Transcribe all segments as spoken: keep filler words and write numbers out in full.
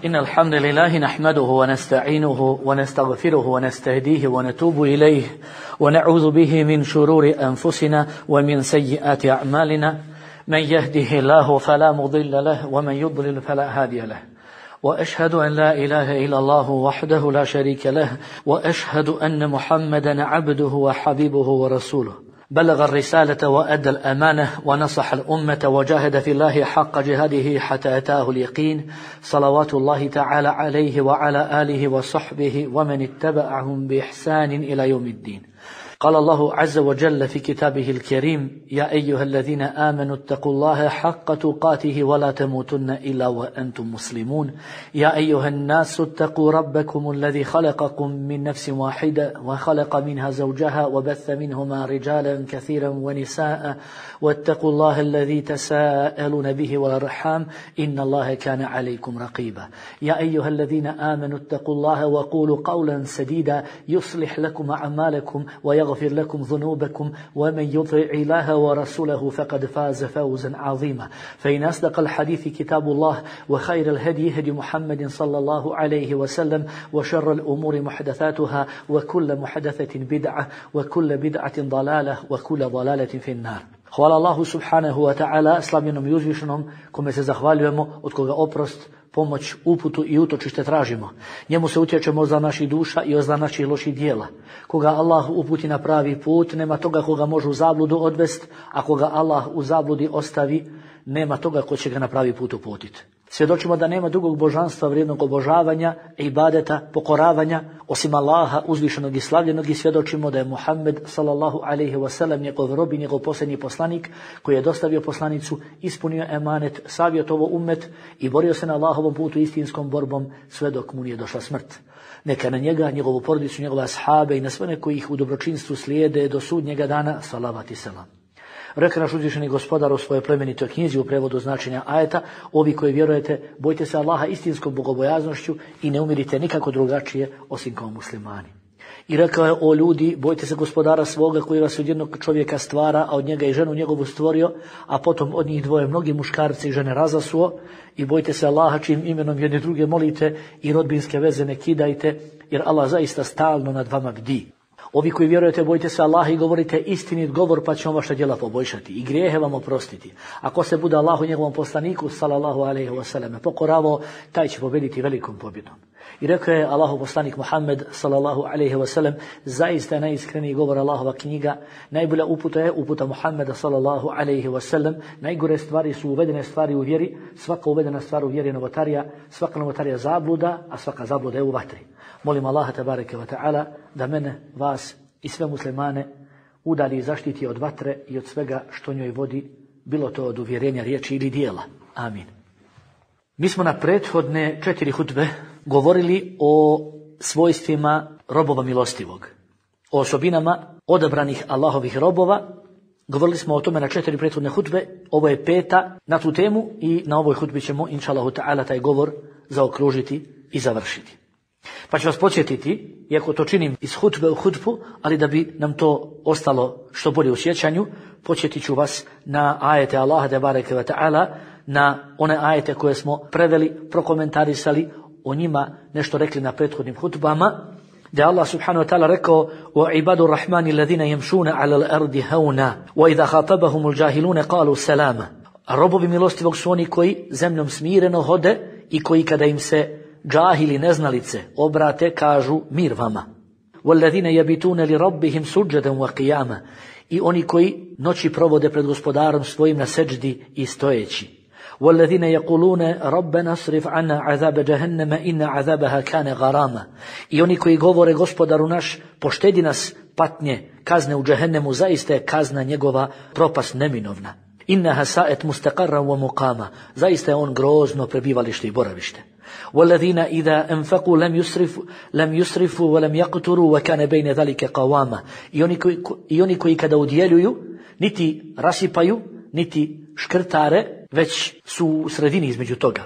إن الحمد لله نحمده ونستعينه ونستغفره ونستهديه ونتوب إليه ونعوذ به من شرور أنفسنا ومن سيئات أعمالنا من يهده الله فلا مضل له ومن يضلل فلا هادي له وأشهد أن لا إله إلا الله وحده لا شريك له وأشهد أن محمدا عبده وحبيبه ورسوله بلغ الرسالة وأدى الأمانة ونصح الأمة وجاهد في الله حق جهاده حتى أتاه اليقين صلوات الله تعالى عليه وعلى آله وصحبه ومن اتبعهم بإحسان إلى يوم الدين. قال الله عز وجل في كتابه الكريم: يا أيها الذين آمنوا اتقوا الله حق تقاته ولا تموتن إلا وأنتم مسلمون. يا أيها الناس اتقوا ربكم الذي خلقكم من نفس واحدة وخلق منها زوجها وبث منهما رجالا كثيرا ونساء واتقوا الله الذي تساءلون به والأرحام إن الله كان عليكم رقيبا. يا أيها الذين آمنوا اتقوا الله وقولوا قولا سديدا يصلح لكم أعمالكم ويغفر يغفر لكم ذنوبكم ومن يطع الله ورسوله فقد فاز فوزا عظيما. فإن أصدق الحديث كتاب الله وخير الهدي هدي محمد صلى الله عليه وسلم وشر الأمور محدثاتها وكل محدثة بدعة وكل بدعة ضلالة وكل ضلالة في النار. Hvala Allahu subhanahu wa ta'ala, slavljenom i uzvišenom, kome se zahvaljujemo, od koga oprost, pomoć, uputu i utočište tražimo. Njemu se utječemo za naših duša i za naših loših dijela. Koga Allah uputi na pravi put, nema toga koga može u zabludu odvest, a koga Allah u zabludi ostavi, nema toga ko će ga na pravi put uputiti. Svjedočimo da nema drugog božanstva vrijednog obožavanja, ibadeta, pokoravanja, osim Allaha uzvišenog i slavljenog, i svjedočimo da je Muhammed sallallahu alejhi ve sellem njegov rob i njegov posljednji poslanik koji je dostavio poslanicu, ispunio emanet, savjetovao ummet i borio se na Allahovom putu istinskom borbom sve dok mu nije došla smrt. Neka na njega, njegovu porodicu, njegove ashabe i na sve one koji ih u dobročinstvu slijede do sudnjega dana, salavat i selam. Rekao naš uzvišeni gospodar u svojoj plemenitoj knjizi u prevodu značenja ajeta: ovi koji vjerujete, bojte se Allaha istinskom bogobojaznošću i ne umirite nikako drugačije osim kao muslimani. I rekao je: o ljudi, bojte se gospodara svoga koji vas od jednog čovjeka stvara, a od njega i ženu njegovu stvorio, a potom od njih dvoje mnogi muškarci i žene razasuo, i bojte se Allaha čijim imenom jedni druge molite i rodbinske veze ne kidajte, jer Allah zaista stalno nad vama bdi. Ovi koji vjerujete, bojte se Allaha i govorite istinit govor, pa će on vaša djela poboljšati i grijehe vam oprostiti. Ako se bude Allahu i njegovom poslaniku sallallahu alejhi ve sellem pokoravao, taj će pobjediti velikom pobjedom. I rekao je Allahu poslanik Muhammed sallallahu alejhi ve sellem: zaista je najiskreniji govor Allahova knjiga, najbolja uputa je uputa Muhammeda sallallahu alejhi ve sellem, najgore stvari su uvedene stvari u vjeri, svaka uvedena stvar u vjeri je novotarija, svaka novotarija zabluda, a svaka zabluda je u vatri. Molim Allaha tebareke ve taala da mene, vas i sve muslimane udalji i zaštiti od vatre i od svega što njoj vodi, bilo to od uvjerenja, riječi ili dijela. Amin. Mi smo na prethodne četiri hutbe govorili o svojstvima robova milostivog, o osobinama odabranih Allahovih robova. Govorili smo o tome na četiri prethodne hutbe, ovo je peta na tu temu i na ovoj hutbi ćemo inšallahu ta'ala taj govor zaokružiti i završiti. Pa ću vas podsjetiti, iako to činim iz hutbe u hutbu, ali da bi nam to ostalo što bolje u sjećanju, podsjetit ću vas na ajete Allaha tebareke ve taala, na one ajete koje smo preveli, prokomentarisali, o njima nešto rekli na prethodnim hutbama, da je Allah subhanahu wa ta'ala rekao: wa ibadu rahmani alladhina yamshuna ala al-ardi hauna wa idha khatabahum al-jahiluna qalu salama. Robovi milostivog su oni koji zemljom smireno hode i koji kada im se džahili, neznalice, obrate, kažu mir vama. وَالَّذِينَ يَبِتُونَ لِرَبِّهِمْ سُجَّدًا وَقِيَامًا. I oni koji noći provode pred gospodarom svojim na seđdi i stojeći. وَالَّذِينَ يَقُولُونَ رَبَّنَا اصْرِفْ عَنَّا عَذَابَ جَهَنَّمَ إِنَّ عَذَابَهَا كَانَ غَرَامًا. I oni koji govore: gospodaru naš, poštedi nas patnje, kazne u džehennemu, zaista je kazna njegova propast neminovna. إِنَّهَا سَاءَتْ مُسْتَقَرًّا وَمُقَامًا. Zaista je on grozno prebivalište i boravište. وَالَّذِينَ إِذَا أَنفَقُوا لَمْ يُسْرِفُوا لَمْ يُسْرِفُوا وَلَمْ يَقْتُرُوا وَكَانَ بَيْنَ ذَلِكَ قَوَامًا. I oni koji, i oni koji kada udjeljuju, niti rasipaju, niti škrtare, već su u sredini između toga.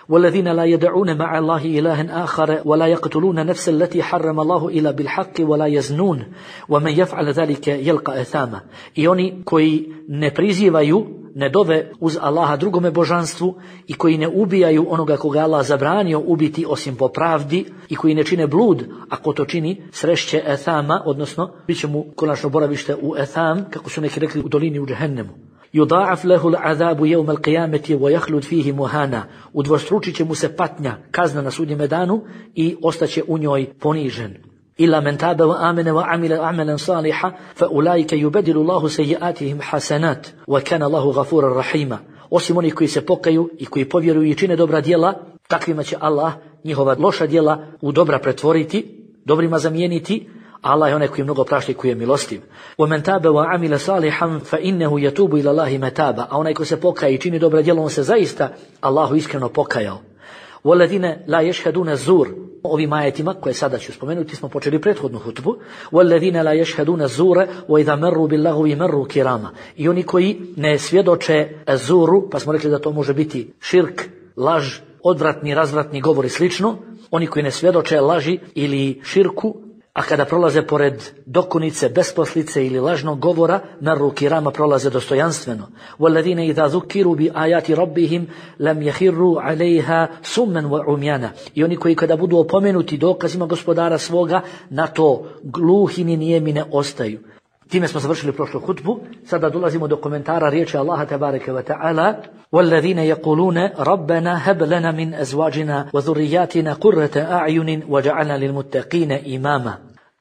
والذين لا يدعون مع الله إلها آخر ولا يقتلون نفس التي حرم الله إلا بالحق ولا يزنون ومن يفعل ذلك يلقى أثاما. I oni koji ne prizivaju, ne dove uz Allaha drugome božanstvu i koji ne ubijaju onoga koga Allah zabranio ubiti osim po pravdi i koji ne čine blud, ako to čini srešće ethama, odnosno bit će mu konačno boravište u etham, kako su neki rekli u dolini u džehennemu. Yudha'af lahu al'adabu yawm al-qiyamati wa yakhlud fihi muhana. Udvostručit će mu se patnja, kazna na sudnjem danu i ostaće u njoj ponižen. Illa man taba wa amana wa amila amalan salihan fa ulaika yubaddilu Allahu sayyi'atihim hasanat wa kana Allahu ghafurar rahima. Osim onih koji se pokaju i koji povjeruju i čine dobra djela, takvima će Allah njihova loša djela u dobra pretvoriti, dobrima zamijeniti. Allah je onaj koji mnogo prašta i koji je milostiv. وَمَنْ تَابَ وَعَمِلَ صَالِحًا فَإِنَّهُ يَتُوبُ إِلَى اللَّهِ مَتَابًا. A onaj ko se pokaje i čini dobra djela, on se zaista Allahu iskreno pokajao. وَالَّذِينَ لَا يَشْهَدُونَ الزُّورَ. Ovim ajetima koje sada ću spomenuti smo počeli prethodnu hutbu. وَالَّذِينَ لَا يَشْهَدُونَ الزُّورَ وَإِذَا مَرُّوا بِاللَّغْوِ مَرُّوا كِرَامًا. I oni koji ne svjedoče zuru, pa smo rekli da to može biti širk, laž, odvratni, razvratni govor i slično. Oni koji ne svjedoče laži ili širku, a kada prolaze pored dokunice, besposlice ili lažnog govora, marru kirama, prolaze dostojanstveno. وَالَّذِينَ إِذَا ذُكِّرُوا بِآيَاتِ رَبِّهِمْ لَمْ يَخِرُّوا عَلَيْهَا سُمًّا وَعُمْيَانًا. I oni koji kada budu opomenuti dokazima gospodara svoga, na to gluhi ni nijemi ne ostaju. Time smo završili prošlu hutbu. Sada dolazimo do komentara riječi Allaha tebareke ve taala: وَالَّذِينَ يَقُولُونَ رَبَّنَا هَبْ لَنَا مِنْ أَزْوَاجِنَا وَذُرِّيَّاتِنَا قُرَّةَ أَعْيُنٍ وَجَعَلْنَا لِلْمُتَّقِينَ إِمَامًا.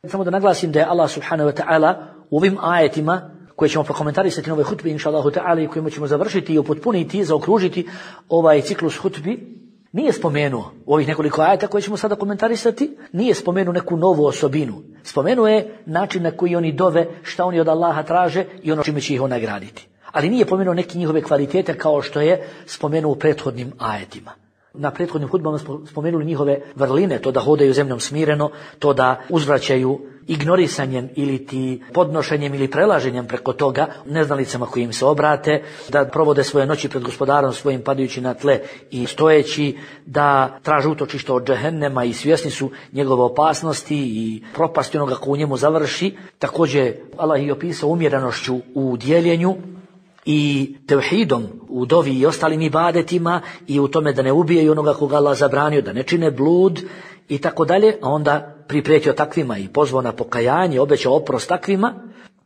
Samo da naglasim da je Allah subhanahu wa ta'ala u ovim ajetima koje ćemo prokomentarisati na ovoj hutbi inšallahu ta'ala i kojima ćemo završiti i upotpuniti, zaokružiti ovaj ciklus hutbi, nije spomenuo u ovih nekoliko ajeta koje ćemo sada komentarisati, nije spomenuo neku novu osobinu. Spomenuo je način na koji oni dove, šta oni od Allaha traže i ono čime će ih on nagraditi. Ali nije pomenuo neke njihove kvalitete kao što je spomenuo u prethodnim ajetima. Na prethodnim hudbama smo spomenuli njihove vrline, to da hodaju zemljom smireno, to da uzvraćaju ignorisanjem ili ti podnošenjem ili prelaženjem preko toga neznalicama koji im se obrate, da provode svoje noći pred gospodarom svojim padajući na tle i stojeći, da traže utočište od džehennema i svjesni su njegove opasnosti i propasti onoga ko u njemu završi. Također Allah je opisao umjerenošću u dijeljenju i tevhidom u dovi i ostalim ibadetima i u tome da ne ubijaju onoga koga Allah zabranio, da ne čine blud i tako dalje, a onda priprijetio takvima i pozvao na pokajanje, obećao oprost takvima.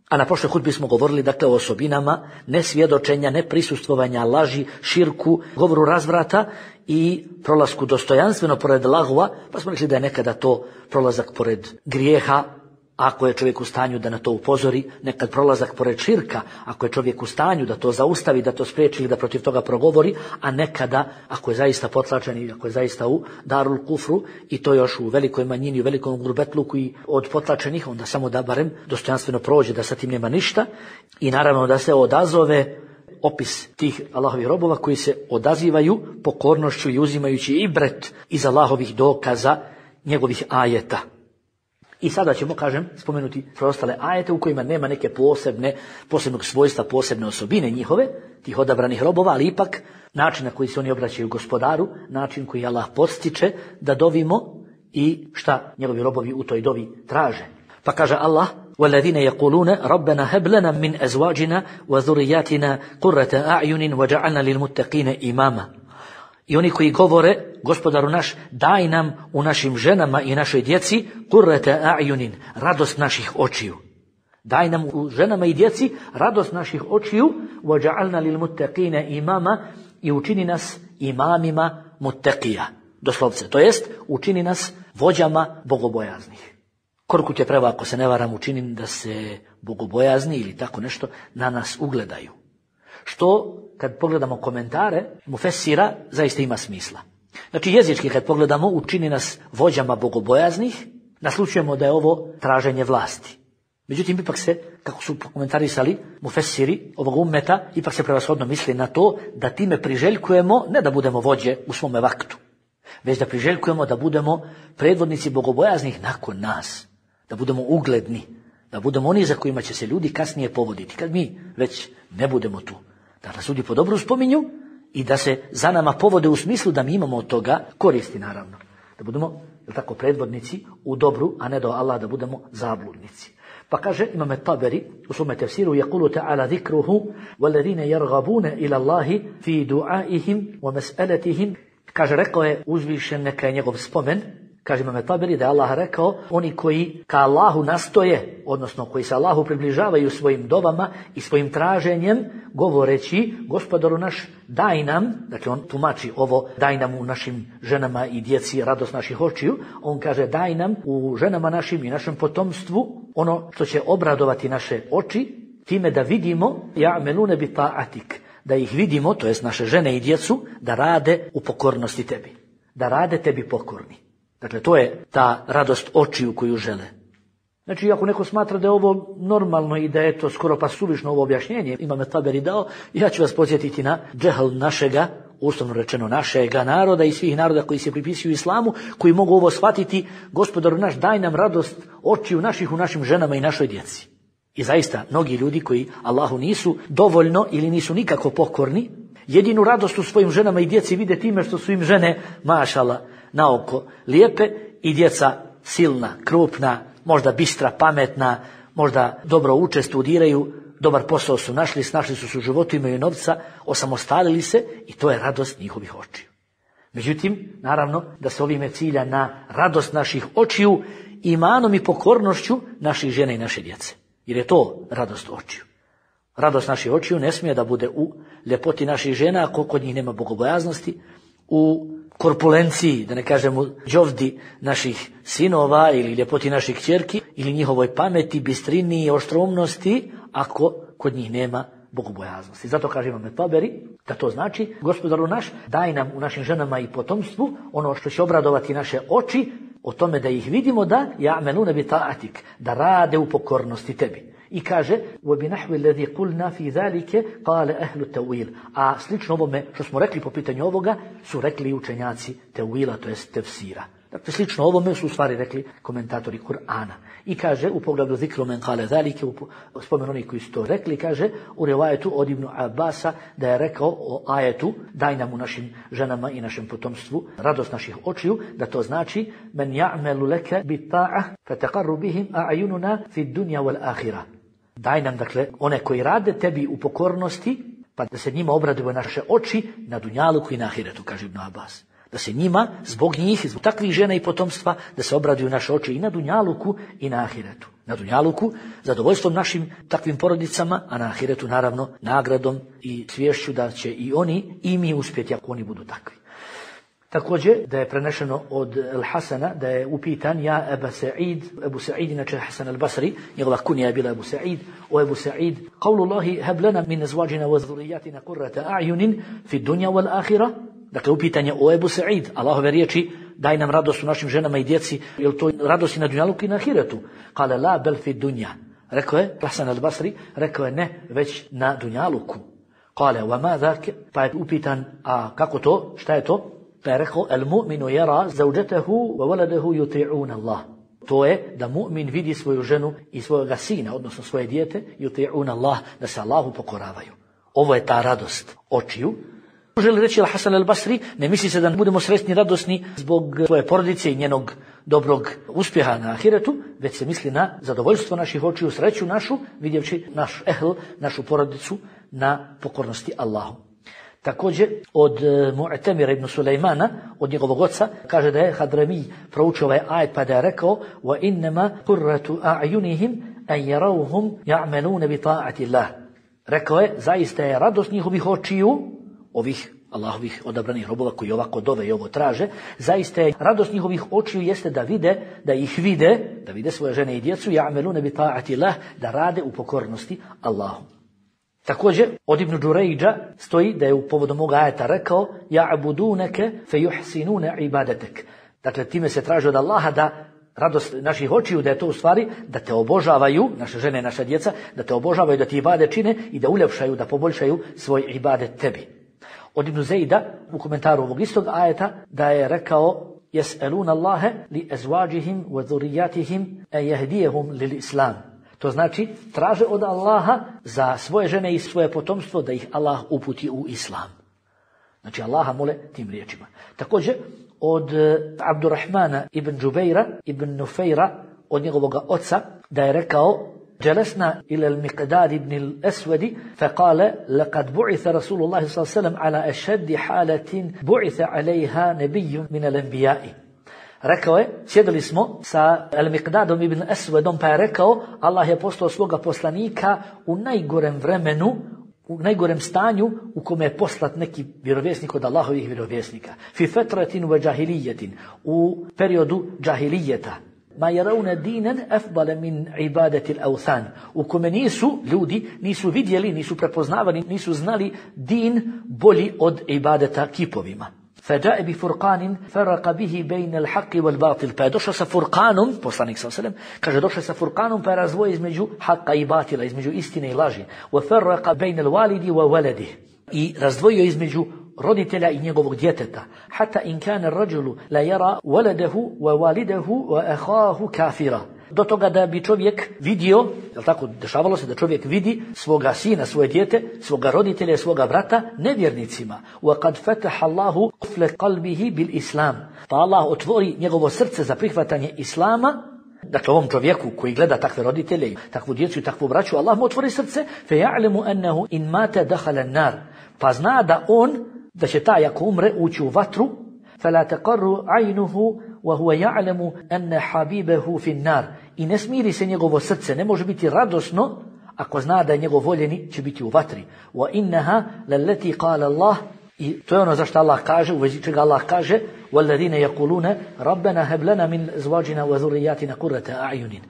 A na prošloj hudbi smo govorili dakle o osobinama nesvjedočenja, neprisustvovanja, laži, širku, govoru razvrata i prolasku dostojanstveno pored lagva, pa smo rekli da je nekada to prolazak pored grijeha, ako je čovjek u stanju da na to upozori, nekad prolazak pored širka, ako je čovjek u stanju da to zaustavi, da to spriječi ili da protiv toga progovori, a nekada, ako je zaista potlačen i ako je zaista u darul kufru, i to još u velikoj manjini, u velikom grubetluku i od potlačenih, onda samo da barem dostojanstveno prođe, da sa tim nema ništa, i naravno da se odazove opis tih Allahovih robova koji se odazivaju pokornošću i uzimajući ibret iz Allahovih dokaza, njegovih ajeta. I sada ćemo, kažem, spomenuti preostale ajete u kojima nema neke posebne, posebnog svojstva, posebne osobine njihove, tih odabranih robova, ali ipak način na koji se oni obraćaju gospodaru, način koji Allah podstiče da dovimo i šta njegovi robovi u toj dovi traže. Pa kaže Allah: وَالَّذِينَ يَقُولُونَ رَبَّنَا هَبْ لَنَا مِنْ أَزْوَاجِنَا وَذُرِّيَّاتِنَا قُرَّةَ أَعْيُنٍ وَجَعَلْنَا لِلْمُتَّقِينَ إِمَامًا. I oni koji govore: gospodaru naš, daj nam u našim ženama i našoj djeci qurrata a'yunin, radost naših očiju. Daj nam u ženama i djeci radost naših očiju, waj'alna lil muttaqina imama, i učini nas imamima muttaqija. Doslovce, to jest učini nas vođama bogobojaznih. Korkut je preva, ako se ne varam, učinim da se bogobojazni ili tako nešto na nas ugledaju. Što, kad pogledamo komentare mufessira, zaista ima smisla. Znači, jezički kad pogledamo, učini nas vođama bogobojaznih, naslučujemo da je ovo traženje vlasti. Međutim, ipak se, kako su komentarisali mufessiri ovog ummeta, ipak se prevashodno misli na to da time priželjkujemo ne da budemo vođe u svome vaktu, već da priželjkujemo da budemo predvodnici bogobojaznih nakon nas, da budemo ugledni, da budemo oni za kojima će se ljudi kasnije povoditi, kad mi već ne budemo tu. Da nas ljudi po dobru spominju i da se za nama povode u smislu da mi imamo od toga koristi, naravno. Da budemo, je tako, predvodnici u dobru, a ne do Allah da budemo zabludnici. Pa kaže Imam Taberi u svome tefsiru: "Yaqulu ta'ala zikruhu walladhina yarghabuna ila Allahi fi du'aihim wa mas'alatihim." Kaže, rekao je uzvišen, neka je njegov spomen. Kaže Imam Taberi da je Allah rekao: oni koji ka Allahu nastoje, odnosno koji se Allahu približavaju svojim dovama i svojim traženjem, govoreći: Gospodaru naš, daj nam, dakle on tumači ovo, daj nam u našim ženama i djeci radost naših očiju. On kaže: daj nam u ženama našim i našem potomstvu ono što će obradovati naše oči, time da vidimo ja'melune bi ta'atik, da ih vidimo, to jest naše žene i djecu, da rade u pokornosti tebi, da rade tebi pokorni. Dakle, to je ta radost očiju koju žele. Znači, ako neko smatra da je ovo normalno i da je to skoro pa suvišno ovo objašnjenje, Imam Taberi dao, ja ću vas podsjetiti na džehl našega, uslovno rečeno našega naroda i svih naroda koji se pripisuju islamu, koji mogu ovo shvatiti: Gospodaru naš, daj nam radost očiju naših u našim ženama i našoj djeci. I zaista, mnogi ljudi koji Allahu nisu dovoljno ili nisu nikako pokorni, jedinu radost u svojim ženama i djeci vide time što su im žene, mašala, na oko lijepe i djeca silna, krupna, možda bistra, pametna, možda dobro uče, studiraju, dobar posao su našli, snašli su se u životu, imaju novca, osamostalili se i to je radost njihovih očiju. Međutim, naravno da se ovime cilja na radost naših očiju, imanom i pokornošću naših žena i naše djece. Jer je to radost očiju. Radost naših očiju ne smije da bude u ljepoti naših žena, ako kod njih nema bogobojaznosti, u korpulenciji, da ne kažemo đovdi naših sinova ili ljepoti naših kćerki, ili njihovoj pameti, bistrini i oštromnosti, ako kod njih nema bogobojaznosti. Zato kaže Imam Taberi da to znači: Gospodaru naš, daj nam u našim ženama i potomstvu ono što će obradovati naše oči, o tome da ih vidimo da ja'melune bi ta'atik, da rade u pokornosti tebi. I kaže: وَبِنَحْوِ الَّذِي قُلْنَا فِي ذَلِكَ قَالَ أَهْلُ التَّوِيلِ. A slično ovome što smo rekli po pitanju ovoga su rekli učenjaci tevila, to jest tefsira. Dakle, slično ovome su u stvari rekli komentatori Kur'ana. I kaže u pogledu zikru men kale zalike, u spomenu oni koji su to rekli, kaže u rivajetu od Ibnu Abasa da je rekao o ajetu: daj nam u našim ženama i našem potomstvu radost naših očiju, da to znači: men ja'melu leke bi ta'ah fataqarru bihim a'yununa fi dunya wal akhirah. Daj nam, dakle, one koji rade tebi u pokornosti, pa da se njima obraduju naše oči na dunjaluku i na ahiretu, kaže Ibn Abbas. Da se njima, zbog njih, zbog takvih žena i potomstva, da se obraduju naše oči i na dunjaluku i na ahiretu. Na dunjaluku zadovoljstvom našim takvim porodicama, a na ahiretu naravno nagradom i svješću da će i oni i mi uspjeti ako oni budu takvi. Također da je prenešeno od Al-Hasana da je upitan: ja Ebu Sa'id, Ebu Sa'id inače Hasan al-Basri, njegova kunija je bila Ebu Sa'id: o Ebu Sa'id, qawlu Allahi heb lana min azwajina wa dhurriyyatina qurrata a'yunin fi dunya wal akhirah. Dakle, upitanje o Ebu Sa'id, Allahove riječi: daj nam radost u našim ženama i djeci, je li to radost i na dunjaluku i na ahiretu? Kale la bel fi dunya. Rekao je Hasan al-Basri, rekao je ne, već na dunjaluku. Kale wa ma dhak, pa je upitan: a kako to, šta je to? Pa je rekao: el mu'minu yara zawjatahu wa waladahu yuti'una Allah. To je da mu'min vidi svoju ženu i svojega sina, odnosno svoje dijete, yuti'una Allah, da se Allahu pokoravaju. Ovo je ta radost očiju. Želi reći Al-Hasan al-Basri, ne misli se da budemo sretni, radosni zbog svoje porodice i njenog dobrog uspjeha na ahiretu, već se misli na zadovoljstvo naših očiju, sreću našu, vidjevši naš ehl, našu porodicu na pokornosti Allahu. Također od Mu'tamira ibn Sulejmana, od njegovog oca, kaže da je Hadrami proučio ovaj ajet pa da je rekao: wa innama qurratu a'yunihim an yarawhum ya'maluna bi ta'ati Allah. Rekao je, zaista je radost njihovih očiju, ovih Allahovih odabranih robova koji ovako dove i ovo traže, zaista je radost njihovih očiju jeste da vide, da ih vide, da vide svoje žene i djecu, ya'maluna bi ta'ati Allah, da rade u pokornosti Allahu. Također od Ibn Đurejđa stoji da je u povodom ovoga ajeta rekao: ja'buduneke fe yuhsinune ibadetek. Dakle, time se traži od Allaha da radost naših očiju, da je to u stvari da te obožavaju, naše žene i naša djeca, da te obožavaju, da ti ibadet čine i da uljepšaju, da poboljšaju svoj ibadet tebi. Od Ibn Zejda u komentaru ovog istog ajeta da je rekao: jes'eluna Allahe li ezvađihim wa dhurrijatihim e jehdijehum lil islam. To znači, traže od Allaha za svoje žene i svoje potomstvo da ih Allah uputi u islam. Znači Allaha mole tim riječima. Također od Abdurrahmana ibn Džubejra ibn Nufejra, od njegovog oca, da je rekao: جلسنا إلى المقداد بن الأسود فقال لقد بعث رسول الله صلى الله عليه وسلم على أشد حالة بعث عليها نبي من الأنبياء. Rekao je, sjedili smo sa Al-Miqdadom ibn Aswadom, pa je rekao: Allah je poslao svoga poslanika u najgorem vremenu, u najgorem stanju u kome je poslat neki vjerovjesnik od Allahovih vjerovjesnika. Fi fetratin wa džahilijetin, u periodu džahilijeta. Ma yarawna dinan afdala min ibadati al-awthan, u kome nisu ljudi nisu vidjeli, nisu prepoznavali, nisu znali din bolji od ibadeta kipovima. Faja'a bi furqanin faraqa bihi bayna al-haqqi wal-batil, pa je došao sa furqanom, poslanik sallallahu alejhi ve sellem kaže došao sa furqanom pa je razdvojio između haqqa i batila, između istine i laži. Wa faraqa bayna al-walidi wa waladihi, i razdvojio između roditelja i njegovog djeteta. Hatta in kana ar-rajulu la yara waladahu wa walidahu wa akhahu kafira. Do toga da bi čovjek vidio, jel tako, dešavalo se da čovjek vidi svoga sina, svoje dijete, svoga roditelja, svoga brata nevjernicima. Wa qad fataha Allahu qafla qalbihi bil islam. Pa Allah otvori njegovo srce za prihvatanje islama. Dakle, ovom čovjeku koji gleda takve roditelje, takvu djecu i takvu braću, Allah mu otvori srce, fe ja'lemu annahu in mata dakhala an-nar. Pa zna da on, da će taj ako umre ući u vatru, fala taqarru aynuhu wa huwa ya'lamu anna habibahu fi an-nar. I ne smiri se njegovo srce, ne može biti radosno ako zna da je njegov voljeni će biti u vatri. Wa innaha lallati qala Allah, i to je ono zašto Allah kaže, u vezi čega Allah kaže: وَالَّذِينَ يَقُولُونَ رَبَّنَا هَبْ لَنَا مِنْ أَزْوَاجِنَا وَذُرِّيَّاتِنَا قُرَّةَ أَعْيُنٍ.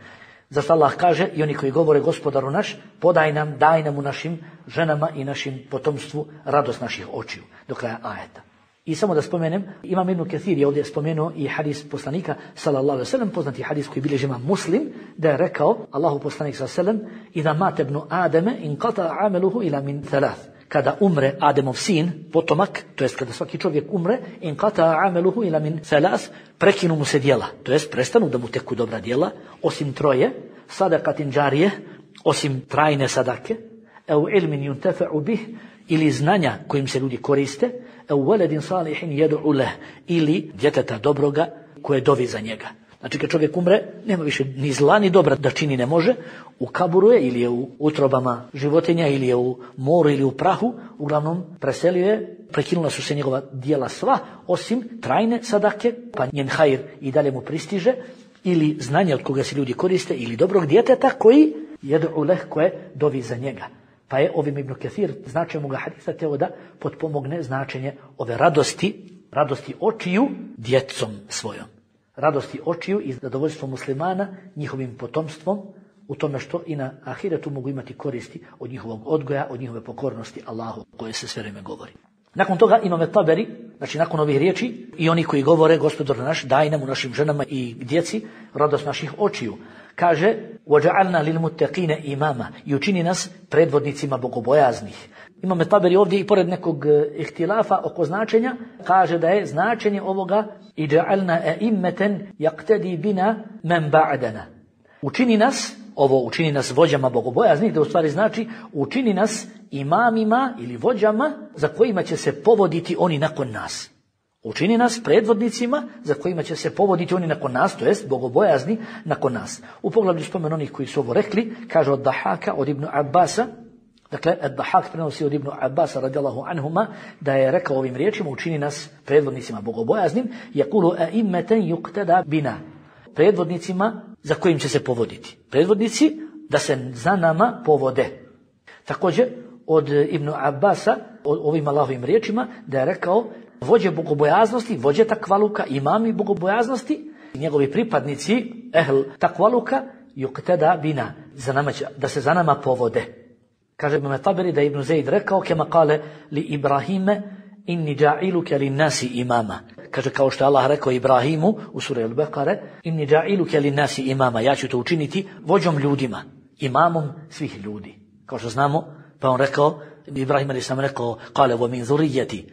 Zašto Allah kaže, i oni koji govore: Gospodaru naš, podaj nam, daj nam u našim ženama i našim potomstvu radost naših očiju. Do kraja ajeta. I samo da spomenem, Imam Ibn Kathir je ovdje spomenuo i hadis poslanika sallallahu alejhi ve sellem, poznati hadis koji bilježi Imam Muslim, da je rekao Allahu poslanik sallallahu alejhi ve sellem: "Iza mata ibnu Adama inqata amaluhu ila min thalath." Kada umre Ademov sin, potomak, to jest kada svaki čovjek umre, inqata amaluhu ila min thalath, prekinu mu se djela, to jest prestanu da mu teku dobra djela, osim troje: sadaqatin džarije, osim trajne sadake, au ilmin yuntafa'u bih, ili znanja kojim se ljudi koriste, au waladin salihin yad'u lah, ili djeteta dobroga koje dovi za njega. Znači kad čovjek umre, nema više ni zla ni dobra da čini ne može, u kaburu je ili je u utrobama životinja ili je u moru ili u prahu, uglavnom preselio je, prekinula su se njegova djela sva, osim trajne sadake, pa njen hajr i dalje mu pristiže, ili znanje od koga se ljudi koriste, ili dobrog djeteta koji yad'u lah, koje dovi za njega. Pa je ovim Ibn Kathir značenjem ovoga hadisa teo da potpomogne značenje ove radosti, radosti očiju djecom svojom. Radosti očiju i zadovoljstvo muslimana njihovim potomstvom u tome što i na ahiretu mogu imati koristi od njihovog odgoja, od njihove pokornosti Allahu, koje se sve vreme govori. Nakon toga Imam Taberi, znači nakon ovih riječi, i oni koji govore: Gospodar naš, daj nam u našim ženama i djeci radost naših očiju. Kaže: وَجَعَلْنَا لِلْمُتَّقِينَ imama, i učini nas predvodnicima bogobojaznih. Imam Taberi ovdje i pored nekog ihtilafa oko značenja, kaže da je značenje ovoga: i ja'alna a'immatan yaqtadi bina man ba'dana. Učini nas, ovo učini nas vođama bogobojaznih, da u stvari znači učini nas imamima ili vođama za kojima će se povoditi oni nakon nas. Učini nas predvodnicima za kojima će se povoditi oni nakon nas, to jest bogobojazni nakon nas. U poglavlju spomen onih koji su ovo rekli, kaže od Dahaka, od Ibnu Abbasa, dakle, Ad-Dahak prenosi od Ibnu Abbasa radijallahu anhuma, da je rekao ovim riječima: učini nas predvodnicima bogobojaznim, yakulu a'immatan yuqtada bina, predvodnicima za kojim će se povoditi. Predvodnici da se za nama povode. Također od Ibnu Abbasa, o ovim Allahovim riječima, da je rekao: vođe bogobojaznosti, vođe takvaluka, imami bogobojaznosti, njegovi pripadnici, ehl takvaluka, yuqtada bina, za nama će, da se za nama povode. Kaže Ibn Taberi da je Ibn Zaid rekao: kema kale li Ibrahime inni ja'iluka lin nasi imama. Kaže, kao što je Allah rekao Ibrahimu u suri Al-Baqara: inni ja'iluka lin nasi imama, ja ću to učiniti vođom ljudima, imamom svih ljudi. Kao što znamo, pa on rekao, Ibrahim ali sam rekao: kale wa min zurrijati,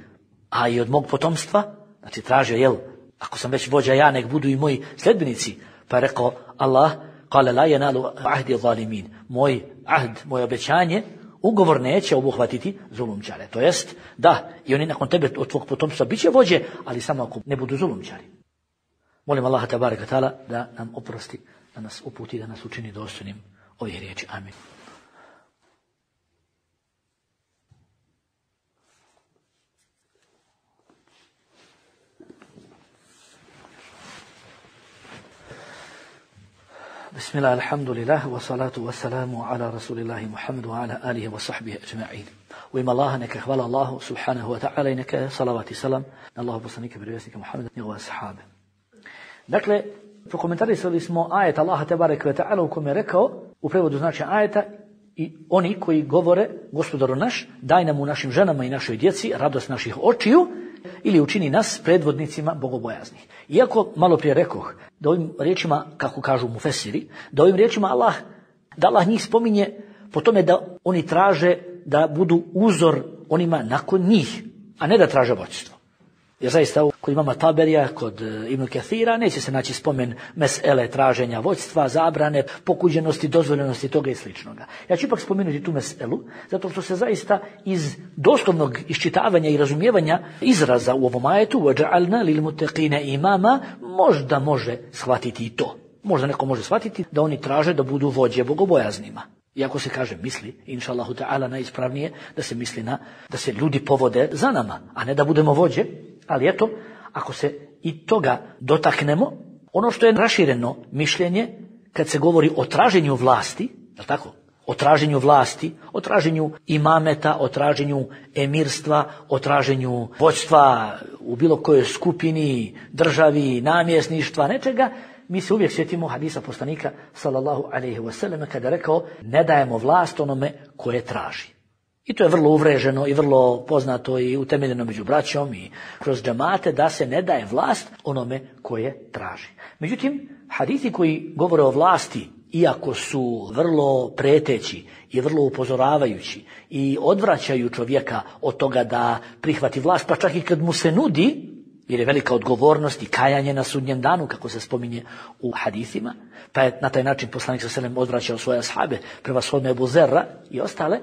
a i od mog potomstva, znači tražio, jel, ako sam već vođa ja, nek budu i moji sljedbenici. Pa je rekao Allah: kale la yanalu ahdi zalimin, moj ahd, moje obećanje Ugovor neće obuhvatiti zulumčare. To jest, da, i oni nakon tebe od tvog potomstva bit će vođe, ali samo ako ne budu zulumčari. Molim Allaha tebareke ve taala da nam oprosti, da nas uputi, da nas učini dostojnim ovih riječi. Amin. Bismillah, alhamdulillah, wa salatu wa salamu ala rasulillahi Muhammedu wa ala alihi wa sahbihi ajma'in. U ime Allaha neka hvala Allahu subhanahu wa ta'ala i neka salavat i salam na Allahu poslanika vjerovjesnika Muhammeda i njegove ashabe. Dakle, prokomentarisali smo ajet Allaha tebareke ve ta'ala u kome je rekao, u prevodu znači ajeta, i oni koji govore, Gospodaru naš, daj nam u našim ženama i našoj djeci radost naših očiju, ili učini nas predvodnicima bogobojaznih. Iako malo prije rekoh da ovim riječima, kako kažu mufesiri, da ovim riječima Allah, da Allah njih spominje po tome da oni traže da budu uzor onima nakon njih, a ne da traže vođstvo. Jer zaista kod imama Taberija, kod Ibn Kathira neće se naći spomen mesele traženja vođstva, zabrane, pokuđenosti, dozvoljenosti toga i sličnoga. Ja ću ipak spomenuti tu meselu, zato što se zaista iz doslovnog iščitavanja i razumijevanja izraza u ovom ajetu وَجَعَلْنَا لِلْمُتَّقِينَ imama možda može shvatiti i to. Možda neko može shvatiti da oni traže da budu vođe bogobojaznima. Iako se kaže misli, inša Allahu ta'ala, najispravnije da se misli na da se ljudi povode za nama, a ne da budemo vođe. Ali eto, ako se i toga dotaknemo, ono što je rašireno mišljenje kad se govori o traženju vlasti, je li tako? O traženju vlasti, o traženju imameta, o traženju emirstva, o traženju vođstva u bilo kojoj skupini, državi, namjesništva, nečega, mi se uvijek sjetimo hadisa poslanika sallallahu alejhi ve sellem kada je rekao ne dajemo vlast onome koje traži. I to je vrlo uvreženo i vrlo poznato i utemeljeno među braćom i kroz džamate da se ne daje vlast onome koje traži. Međutim, hadisi koji govore o vlasti, iako su vrlo preteći i vrlo upozoravajući i odvraćaju čovjeka od toga da prihvati vlast, pa čak i kad mu se nudi, jer je velika odgovornost i kajanje na sudnjem danu, kako se spominje u hadisima, pa je na taj način poslanik sallallahu alejhi ve sellem odvraćao svoje ashabe, prevashodno Ebu Zerra i ostale.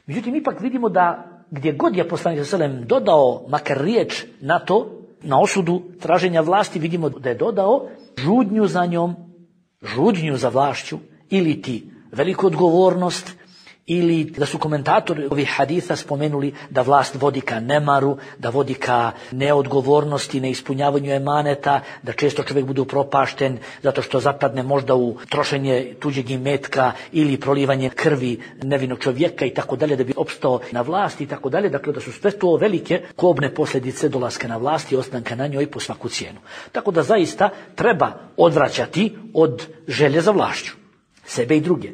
Međutim, ipak vidimo da gdje god je poslanik sallallahu alejhi ve sellem dodao makar riječ na to, na osudu traženja vlasti, vidimo da je dodao žudnju za njom, žudnju za vlašću, ili ti veliku odgovornost, ili da su komentatori ovih haditha spomenuli da vlast vodi ka nemaru, da vodi ka neodgovornosti, neispunjavanju emaneta, da često čovjek bude upropašten zato što zapadne možda u trošenje tuđeg imetka ili prolivanje krvi nevinog čovjeka i tako dalje da bi opstao na vlasti i tako dalje. Dakle, da su sve to velike kobne posljedice dolaska na vlast i ostanka na njoj po svaku cijenu. Tako da zaista treba odvraćati od želje za vlašću sebe i druge.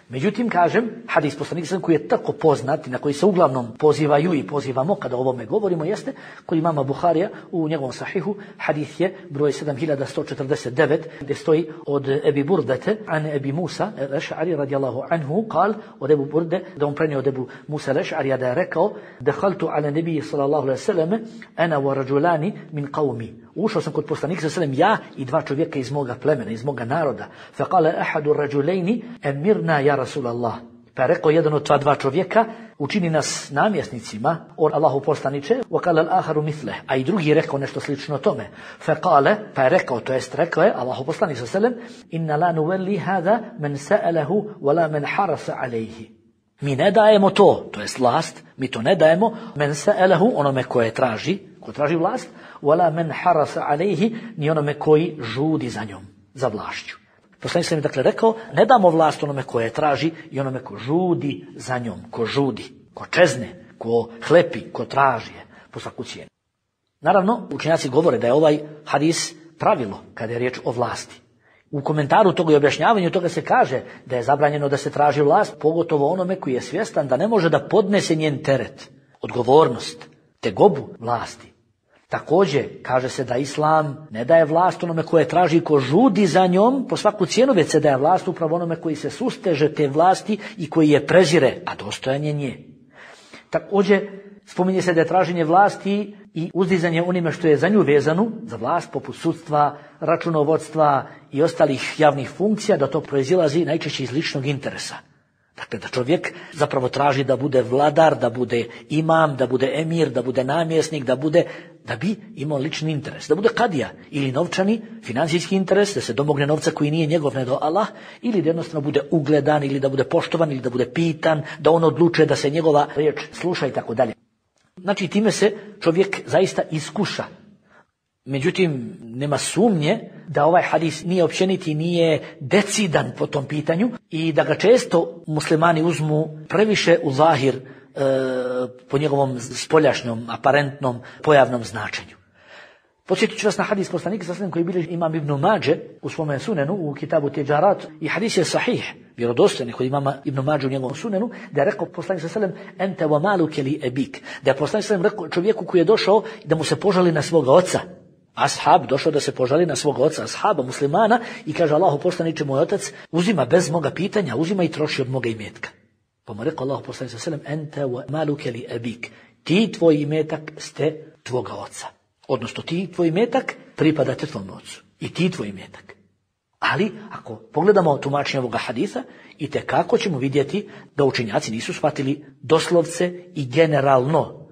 Međutim, kažem, hadis poslanika koji je tako poznat i na koji se uglavnom pozivaju i pozivamo kada o ovome govorimo jeste kod imama Buharija u njegovom sahihu, hadis je broj sedam hiljada sto četrdeset devet gdje stoji od Ebi Burdete an Ebi Musa al-Eš'ari radijallahu anhu kal od Ebu Burde, da on prenio od Ebu Musa al-Eš'ari da je rekao dehaltu ala nebiji sallallahu alaihi sallam ana wa rajulani min qavmi. Ušao sam kod poslanika sallallahu alaihi sallam ja i dva čovjeka iz moga plemena, iz moga naroda. Fa kale ahadu rajulejni emirna ja Rasulallah. Pa je rekao jedan od ta dva čovjeka, učini nas namjesnicima, o Allahu poslaniče, wa kale al-aharu mithleh, a i drugi je rekao nešto slično tome. Fa kale, pa je rekao, to jest rekao je Allahu poslanik sallallahu alejhi ve sellem, inna la nuwalli hada man sa'alahu wala man harasa alayhi. Mi ne dajemo to, to jest vlast, mi to ne dajemo men sa'alahu, onome koje traži, ko traži vlast, wala man harasa alayhi, ni onome koji žudi za njom, za vlašću. Poslanik sam mi dakle rekao, ne damo vlast onome koje traži i onome ko žudi za njom, ko žudi, ko čezne, ko hlepi, ko traži je po svaku cijenu. Naravno, učenjaci govore da je ovaj hadis pravilo kada je riječ o vlasti. U komentaru toga i objašnjavanju toga se kaže da je zabranjeno da se traži vlast, pogotovo onome koji je svjestan da ne može da podnese njen teret, odgovornost, tegobu vlasti. Također, kaže se da Islam ne daje vlast onome koje traži ko žudi za njom po svaku cijenu, već se daje vlast upravo onome koji se susteže te vlasti i koji je prezire, a dostojan je nje. Također, spominje se da je traženje vlasti i uzdizanje onime što je za nju vezano, za vlast poput sudstva, računovodstva i ostalih javnih funkcija, da to proizilazi najčešće iz ličnog interesa. Dakle, da čovjek zapravo traži da bude vladar, da bude imam, da bude emir, da bude namjesnik, da bude, da bi imao lični interes, da bude kadija ili novčani, financijski interes, da se domogne novca koji nije njegov nego Allah, ili da jednostavno bude ugledan, ili da bude poštovan, ili da bude pitan, da on odlučuje da se njegova riječ sluša i tako dalje. Znači, time se čovjek zaista iskuša. Međutim, nema sumnje da ovaj hadis nije općeniti, nije decidan po tom pitanju i da ga često muslimani uzmu previše u zahir e, po njegovom spoljašnjom, aparentnom, pojavnom značenju. Podsjetit ću vas na hadis poslanika sallallahu alejhi ve sellem koji bilježi imam Ibn Mađe u svome sunenu, u kitabu Tiđarat, i hadis je sahih, vjerodostojan kod imama Ibn Mađe u njegovom sunenu, da je rekao poslanik sallallahu alejhi ve sellem ente wa maluke li ebik, da je poslanik sallallahu alejhi ve sellem rekao čovjeku koji je došao da mu se požali na svoga oca. Ashab došao da se požali na svog oca, ashaba, muslimana, i kaže Allahu poslaniče, moj otac uzima bez moga pitanja, uzima i troši od moga imetka. Pa mu rekao Allahu poslaniče sallallahu alejhi ve sellem ente wa maluke li ebik, ti tvoj imetak ste tvoga oca. Odnosno ti tvoj imetak pripadate tvom ocu i ti tvoj imetak. Ali ako pogledamo tumačenje ovoga hadisa, i tekako ćemo vidjeti da učenjaci nisu shvatili doslovce i generalno.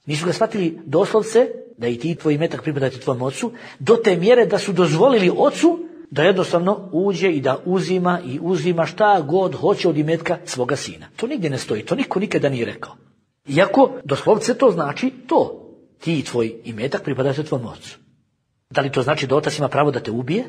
Nisu ga shvatili doslovce da i ti tvoj imetak pripadate tvom ocu, do te mjere da su dozvolili ocu da jednostavno uđe i da uzima i uzima šta god hoće od imetka svoga sina. To nigdje ne stoji, to niko nikada nije rekao. Iako doslovce to znači to. Ti i tvoj imetak pripadate tvom ocu. Da li to znači da otac ima pravo da te ubije?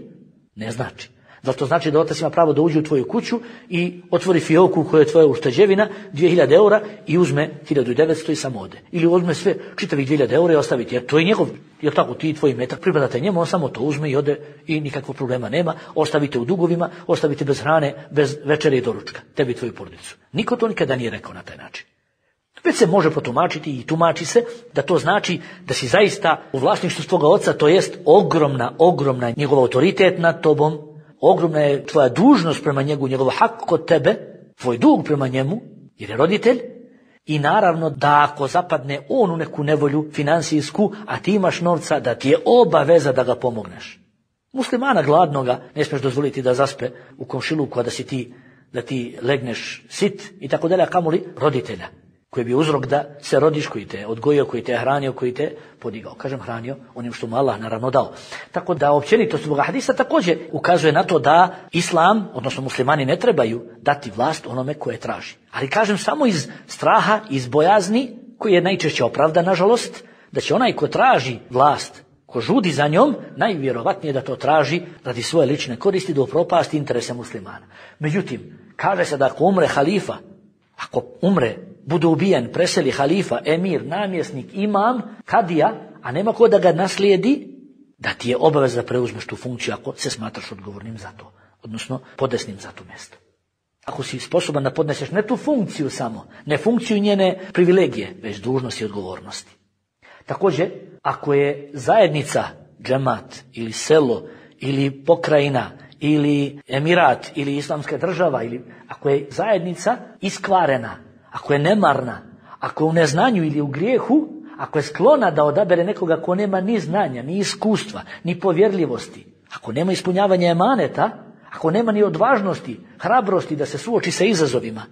Ne znači. Da li to znači da otac ima pravo da uđe u tvoju kuću i otvori fioku koja je tvoja ušteđevina, dvije hiljade eura, i uzme hiljadu devetsto i samo ode? Ili uzme sve čitavih dvije hiljade eura i ostaviti, jer to je njegov, jer tako ti i tvoj imetak pripadate njemu, on samo to uzme i ode i nikakvog problema nema, ostavite u dugovima, ostavite bez hrane, bez večere i doručka, tebi i tvoju porodicu. Niko to nikada nije rekao na taj način. Već se može protumačiti i tumači se da to znači da si zaista u vlasništvu svoga oca, to jest ogromna, ogromna njegov autoritet nad tobom, ogromna je tvoja dužnost prema njegu, njegov hak kod tebe, tvoj dug prema njemu, jer je roditelj, i naravno da ako zapadne on u neku nevolju finansijsku, a ti imaš novca, da ti je obaveza da ga pomogneš. Muslimana gladnoga ne smiješ dozvoliti da zaspe u komšiluku, a da si ti, da ti legneš sit i tako dalje, a kamoli roditelja, koji bi uzrok da se rodiš, koji te odgojio, koji te hranio, koji te podigao. Kažem hranio onim što mu Allah naravno dao. Tako da općenitost ovoga hadisa također ukazuje na to da islam, odnosno muslimani, ne trebaju dati vlast onome koje traži. Ali kažem samo iz straha, iz bojazni, koji je najčešće opravdan, nažalost, da će onaj ko traži vlast, ko žudi za njom, najvjerovatnije da to traži radi svoje lične koristi, da upropasti interese muslimana. Međutim, kaže se da ako umre halifa, ako umre, bude ubijen, preseli halifa, emir, namjesnik, imam, kadija, a nema ko da ga naslijedi, da ti je obaveza da preuzmeš tu funkciju ako se smatraš odgovornim za to, odnosno podesnim za to mjesto. Ako si sposoban da podneseš ne tu funkciju samo, ne funkciju njene privilegije, već dužnosti i odgovornosti. Također, ako je zajednica, džemat ili selo ili pokrajina ili emirat ili islamska država, ili ako je zajednica iskvarena, ako je nemarna, ako je u neznanju ili u grijehu, ako je sklona da odabere nekoga ko nema ni znanja, ni iskustva, ni povjerljivosti, ako nema ispunjavanja emaneta, ako nema ni odvažnosti, hrabrosti da se suoči sa izazovima,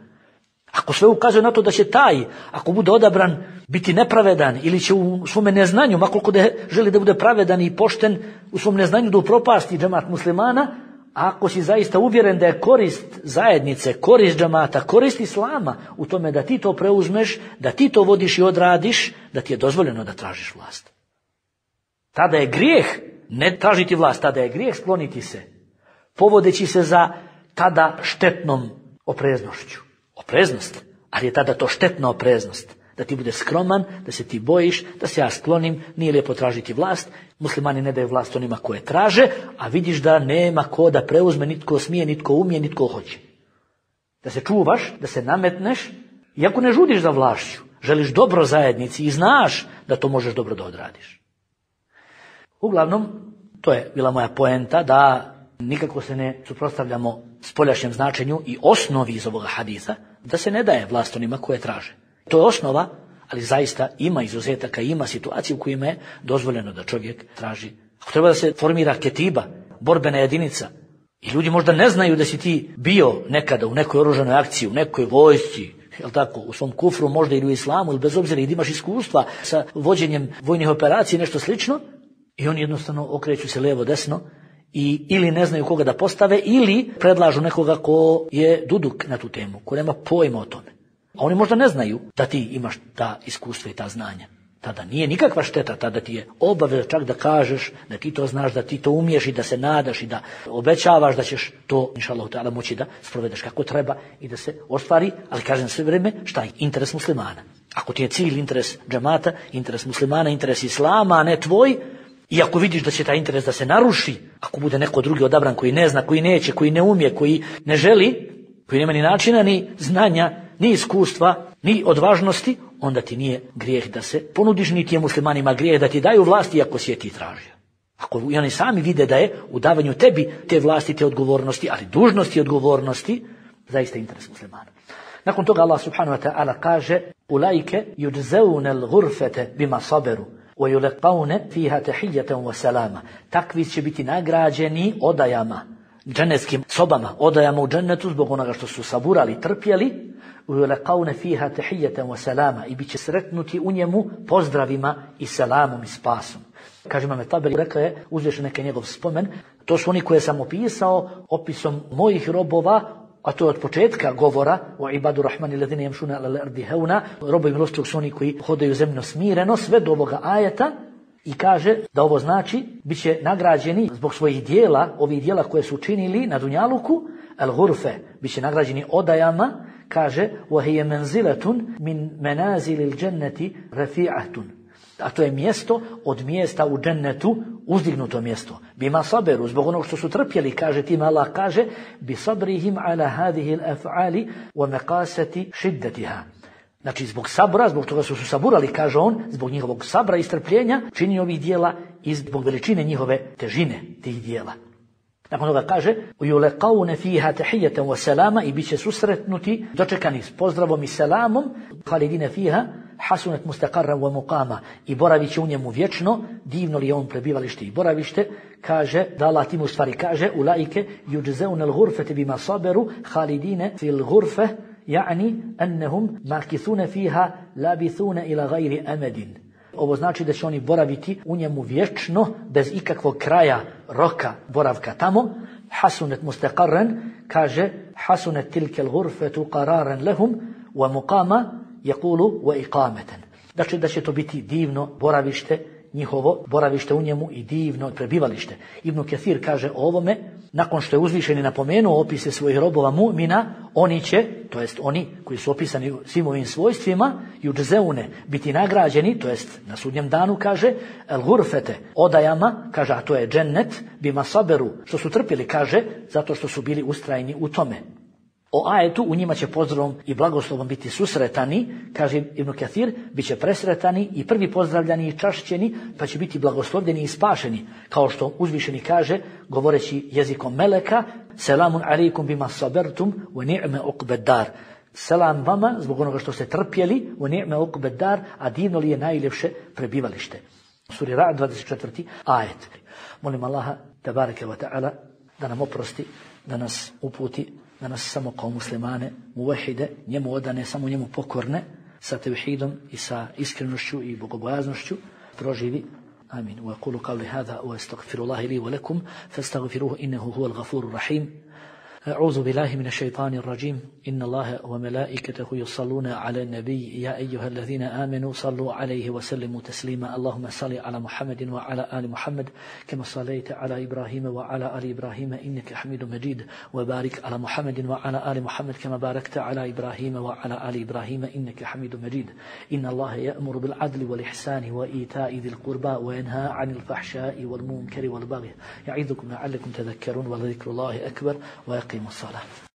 ako sve ukazuje na to da će taj, ako bude odabran, biti nepravedan ili će u svome neznanju, makoliko da želi da bude pravedan i pošten, u svom neznanju da upropasti džemat muslimana, ako si zaista uvjeren da je korist zajednice, korist džamata, korist islama u tome da ti to preuzmeš, da ti to vodiš i odradiš, da ti je dozvoljeno da tražiš vlast. Tada je grijeh ne tražiti vlast, tada je grijeh skloniti se, povodeći se za tada štetnom opreznošću. Opreznost, ali je tada to štetna opreznost. Da ti bude skroman, da se ti bojiš, da se ja sklonim, nije lijepo tražiti vlast. Muslimani ne daju vlast onima koje traže, a vidiš da nema ko da preuzme, nitko smije, nitko umije, nitko hoće. Da se čuvaš, da se nametneš, iako ne žudiš za vlašću, želiš dobro zajednici i znaš da to možeš dobro da odradiš. Uglavnom, to je bila moja poenta, da nikako se ne suprotstavljamo spoljašnjem značenju i osnovi iz ovoga hadisa, da se ne daje vlast onima koje traže. To je osnova, ali zaista ima izuzetaka, ima situacije u kojima je dozvoljeno da čovjek traži. Ako treba da se formira ketiba, borbena jedinica, I ljudi možda ne znaju da si ti bio nekada u nekoj oružanoj akciji, u nekoj vojsci, jel tako, u svom kufru, možda ili u islamu, ili bez obzira i da imaš iskustva sa vođenjem vojnih operacija, nešto slično, i oni jednostavno okreću se lijevo desno i ili ne znaju koga da postave, ili predlažu nekoga ko je duduk na tu temu, ko nema pojma o tome. A oni možda ne znaju da ti imaš ta iskustva i ta znanja. Tada nije nikakva šteta, tada ti je obaveza čak da kažeš, da ti to znaš, da ti to umiješ i da se nadaš i da obećavaš da ćeš to, inšallahu ta'ala, moći da sprovedeš kako treba i da se ostvari, ali kažem sve vrijeme, šta je? Interes muslimana. Ako ti je cilj interes džamata, interes muslimana, interes islama, a ne tvoj, i ako vidiš da će taj interes da se naruši, ako bude neko drugi odabran koji ne zna, koji neće, koji ne umije, koji ne želi, koji nema ni načina, ni znanja, ni iskustva, ni odvažnosti, onda ti nije grijeh da se ponudiš, niti je muslimanima grijeh da ti daju vlasti ako si je ti tražio. Ako i oni sami vide da je u davanju tebi te vlasti, te odgovornosti, ali dužnosti i odgovornosti, zaista interes muslimana. Nakon toga Allah subhanahu wa ta'ala kaže: "Ulaike yujzauna al-ghurfata bima sabaru wa yulqauna fiha tahiyatan wa salama." Takvi će biti nagrađeni odajama, dženetskim sobama, odajama u džennetu zbog onoga što su saburali, trpjeli, وَيُلَقَوْنَ فِيهَا تَحِيَّةً وَسَلَامًا, i bit će sretnuti u njemu pozdravima i selamom i spasom. Kaže Imam Taberi, rekao je, uzviše neke njegov spomen, to su oni koje sam opisao opisom mojih robova, a to je od početka govora o ibadu rahmani ladine jemšuna ala l'ardi heuna, robovi milostivog su oni koji hodaju zemlju smireno, sve do ovoga ajeta, i kaže da ovo znači bit će nagrađeni zbog svojih dijela, ovih dijela koje su učinili na dunjaluku, al-ghurfe, bit će nagrađeni odajama, kaže وَهِيَ مَنْزِلَةٌ مِنْ مَنَازِلِ الْجَنَّةِ رَفِيعَةٌ, a to je mjesto od mjesta u džennetu, uzdignuto mjesto. Bima saberu, zbog onog što su trpjeli, kaže tim Allah kaže bi sabrihim ala hadihi al-af'ali wa maqasati shiddatiha. Znači zbog sabra, zbog toga su su saburali, kaže on, zbog njihovog sabra i strpljenja, čini ovih dijela i zbog veličine njihove težine tih dijela. Nakon toga kaže وَيُلَقَوْنَ فِيهَا تَحِيَّةً وَسَلَامًا, i bit će susretnuti, dočekani s pozdravom i selamom, خَالِدِينَ فِيهَا حَسُنَتْ مُسْتَقَرًا وَمُقَامًا, i boravit će u njemu vječno, divno li je on prebivalište i boravište. Kaže da Allah tim u stvari kaže أُولَئِكَ يُجْزَوْنَ الْغُرْفَةَ بِمَا صَبَرُوا خَالِدِينَ فِي الْغُرْفَةِ يعني أنهم ماكثون فيها لابثون إلى غير أمد. Ovo znači da će oni boraviti u njemu vječno, bez ikakvog kraja, roka boravka tamo. Hasunet mustaqarran, kaže hasunet tilke l'ghurfetu qararan lehum wa muqama yaqulu wa iqamatan. Znači da će to biti divno boravište, njihovo boravište u njemu i divno prebivalište. Ibn Kathir kaže o ovome, nakon što je uzvišeni napomenuo opise svojih robova mu'mina, oni će, to jest oni koji su opisani svim ovim svojstvima, yujzaune, biti nagrađeni, to jest na sudnjem danu, kaže, al-ghurfete, odajama, kaže, a to je džennet, bima saberu, što su trpjeli, kaže, zato što su bili ustrajni u tome. O ajetu, u njima će pozdravom i blagoslovom biti susretani, kaže Ibn Kathir, bit će presretani i prvi pozdravljani i čašćeni, pa će biti blagoslovljeni i spašeni, kao što uzvišeni kaže, govoreći jezikom meleka, selamun alaikum bima sabertum wa ni'me uqbed dar. Selam vama zbog onoga što ste trpjeli, wa ni'me uqbed dar, a divno li je najljepše prebivalište. Suri Ra'd, dvadeset četvrti ajet. Molim Allaha tebareke wa ta'ala da nam oprosti, da nas uputi, da nas samo kao muslimane, muvahide, njemu odane, samo njemu pokorne, sa tevhidom i sa iskrenošću i bogobojaznošću proživi. Amin. Wa aqulu qawli hadha wa astaghfirullaha li wa lakum fastaghfiruhu innahu huwal ghafurur rahim. أعوذ بالله من الشيطان الرجيم إن الله وملائكته يصلون على النبي يا أيها الذين آمنوا صلوا عليه وسلموا تسليما اللهم صل على محمد وعلى آل محمد كما صليت على إبراهيم وعلى آل إبراهيم إنك حميد مجيد وبارك على محمد وعلى آل محمد كما باركت على إبراهيم وعلى آل إبراهيم إنك حميد مجيد إن الله يأمر بالعدل والإحسان وإيتاء ذي القربى وينهى عن الفحشاء والمنكر والبغي يعظكم لعلكم تذكرون ولذكر الله أكبر ويقيم الصلاة.